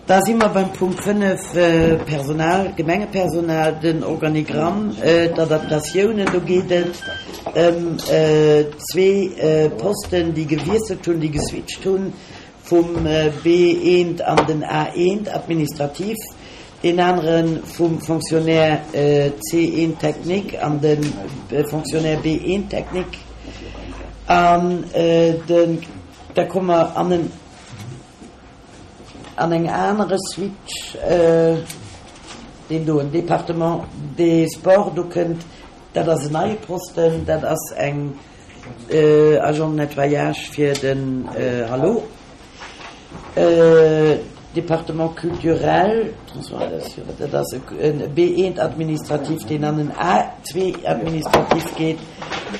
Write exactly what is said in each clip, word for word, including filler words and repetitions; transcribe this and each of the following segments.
Da si mer beim Punkt fënnef, Personal, Gemengepersonal, den Organigramm, d'Adaptatiounen. Do geet et ëm zwee Posten, déi gewiesselt hunn, déi geswitcht hunn vum B eent an den A eent administratif, deen anere vum Fonctionnaire C eent technique an de Fonctionnaire B eent technique. An den, da komme mer an en, an eng anere Switch, deen do, en Département des Sports, do kënnt, dat ass en neie Posten, dat ass eng Agent de nettoyage fir den Hallo. Département culturel, dat ass e B eent administratif, deen an en A zwee administratif geet.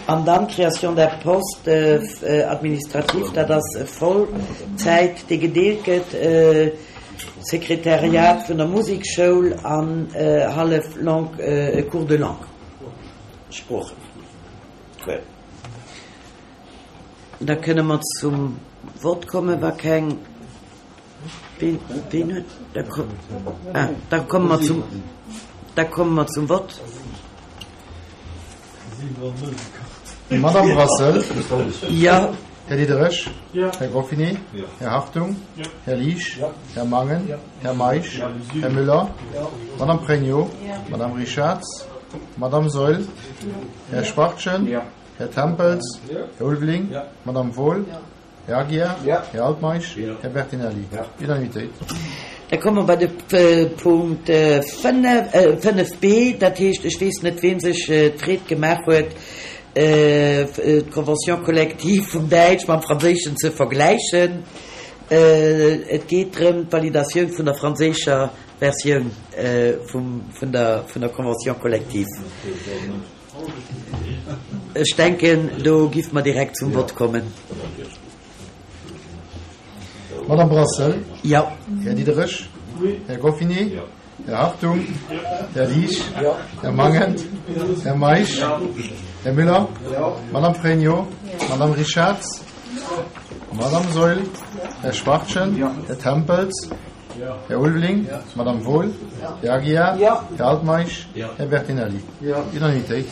An dann d'Création d'un poste administratif, dat ass e Vollzäit, dee gedeelt gëtt, Sekretariat vun der Musekschoul an hallef Langue, Cours de langue, Sproochen. Da kënne mer zum Vott kommen, wa keng. Ween, ween huet, da komm, ah, da komme mer zum, da komme mer zum Vott. Madame Brassel. Jo. Här Diderich. Här Goffinet. Här Hartung. Här Liesch. Här Mangen. Här Meisch. Här Müller. Madame Pregno. Madame Richarz. Madame Saeul. Här Schwachtgen. Här Tempels. Här Ulveling. Madame Wohl. Här Aguiar. Här Altmeisch. Här Bertinelli. Unanimitéit. Da komme mer bei de Punkt fënnef, fënnef b. Dat heescht, ech weess net, ween sech d'Freed gemaach huet, d'Convention collective vum Däitsch mam Franséischen ze vergläichen. Et geet drëm, d'Validatioun vun der franséischer Versioun vum, vun der, vun der Convention collective. Ech denken, do giff mer direkt zum Vott kommen. Madame Brassel. Jo. Här Diderich. Här Goffinet. Här Hartung. Här Liesch. Här Mangen. Här Meisch. Här Müller. Madame Pregno. Madame Richarz. Madame Saeul. Här Schwachtgen. Här Tempels. Här Ulveling. Madame Wohl. Här Aguiar. Här Altmeisch. Här Bertinelli. Unanimitéit.